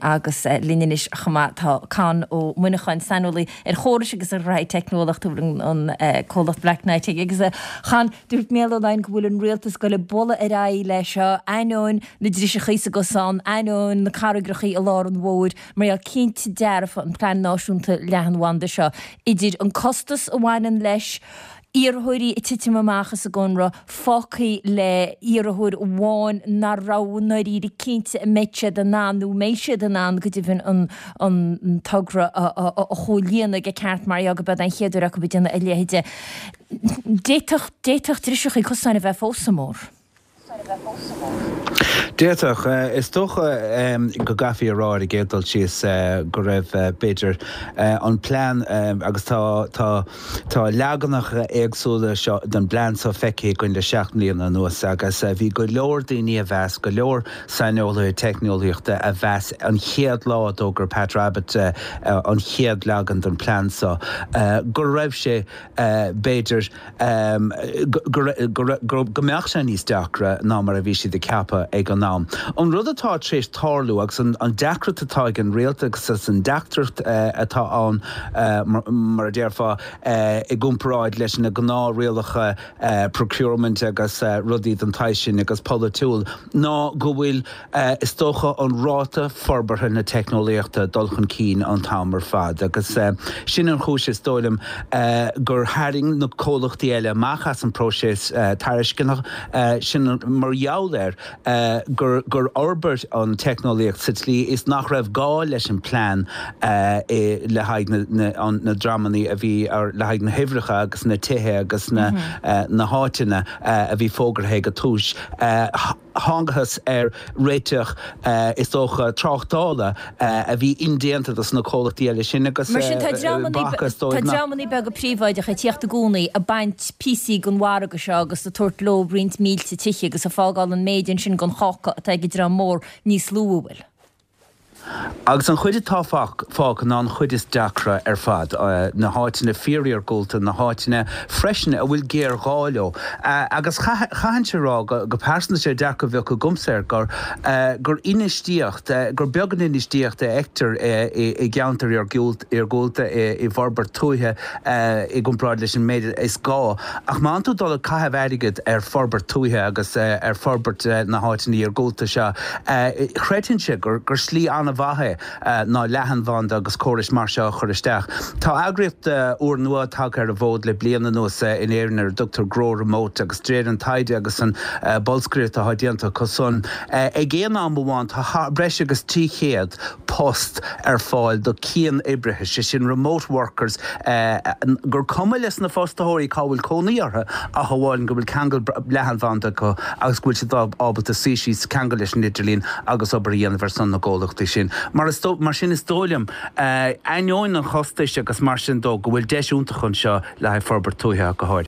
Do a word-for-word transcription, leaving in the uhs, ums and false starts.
Agus linn anois chomh maith tá Conn Ó Muineacháin, saineolaí ar chórais agus ar ghraithí teicneolaíochta an comhlacht Blacknight. Agus a Chonn, dúirt Micheál Ó Laighin go bhfuil an rialtas ag goil ag bualadh ar aghaidh le seo, ainneoin na driseachaí sa gcosán, ainneoin na carraigreachaí i lár an bhóthair, mar gheall cinnte dearfa an plean náisiúnta leathanbhanda seo, idir an costas a bhaineann leis, iarrthóirí ag titim amach as an gconradh, fágtha le iarrthóir amháin nach raibh i ndáiríre cinnte an mbeidh siad in ann nó an mbeidh siad in ann go deimhin an an togra a chomhlíonadh i gceart mar gheall go b'é an chéad uair acu ag déanamh a leithéide. D'fhéadfadh d'fhéadfadh driseachaí cosáin a bheith fós sa mbóthar. D'fhéadfadh. Is dócha go gcaithfí a rá ar an gcéad dul síos go raibh, b'fhéidir, an plean, agus tá tá tá leaganacha éagsúla seo den bplean seo feicthe againn le seacht mbliana anuas agus bhí go leor daoine a mheas, go leor saineolaithe teicneolaíochta a mheas an chéad lá a d'fhógair Pat Rabbitte an chéad leagan den plean seo go raibh sé, b'fhéidir, go mbeadh sé níos deacra ná mar a bhí siad ag ceapadh ag an am. An rud atá tar éis tarlú agus an deacracht atá ag an rialtas agus an deacracht atá ann, mar a déarfá, i gcomparáid leis na gnáthrialacha procurement agus rudaí den tsaghas sin agus polaitiúil, ná go bhfuil, is dócha, an ráta forbartha na teicneolaíochta ag dul chun cinn an t-am ar fad agus sin an chúis, is dóigh liom, gur tharraing na comhlachtaí eile amach as an bpróiseas tairisceana, sin mar gheall air gur gur fhorbair an teicneolaíocht sa tslí is nach raibh gá leis an bplean le haghaidh na ndreamanna a bhí le haghaidh na huimhreacha agus na tithe agus na na háiteanna a bhí fógartha ag an tús. Thángthas ar réiteach, is dócha, tráchtála a bhí indéanta dos na comhlachtaí eile sin agus Mar sin tá dreamanna beaga príobháideacha ag tíocht i gcónaí ag baint píosaí den mhargadh seo agus ag tabhairt leo roinnt mílte tithe agus ag fágáil an méid ansin den cháca atá ag an dream mór níos lú, an bhfuil? Agus an chuid atá fágtha ná an chuid is deacra ar fad, na háiteanna fíoriargúlta, na háiteanna freisin a bhfuil géarghá leo. Agus chaithfinnse a rá go pearsanta, sé dearcadh a bheadh agamsa air gur gur infheistíocht, gur beag an infheistíocht a fheictear i gceantair iargúlta, i bhforbairt tuaithe i gcomparáid leis an méid is gá. Ach má tá tú dul ag caitheamh airgid ar forbairt tuaithe agus ar forbairt na háiteanna iargúlta seo, chreidfinnse gur slí an-mhaith é ná leathanbhanda agus córais mar seo a chur isteach. Tá eagraíocht úrnua tagtha ar an bhfód le bliain anuas in Éirinn ar a dtugtar Grow Remote agus de réir an taighde agus an bolscaireacht atá déanta acu san, ag aon am amháin tá breis agus trí chéad post ar fáil do cian-oibrithe, sé sin remote workers, gur cuma leis na fostaitheoirí cá bhfuil cónaí orthu ach amháin go bhfuil ceangal leathanbhanda acu agus go bhfuil siad ábalta suí síos, ceangal leis an idirlíon agus obair a dhéanamh ar son na gcomhlachtaí sin. Mar mar sin is dóigh liom, ainneoin an chostais agus mar sin dó, go bhfuil deis iontach anseo le haghaidh forbairt tuaithe go háirithe.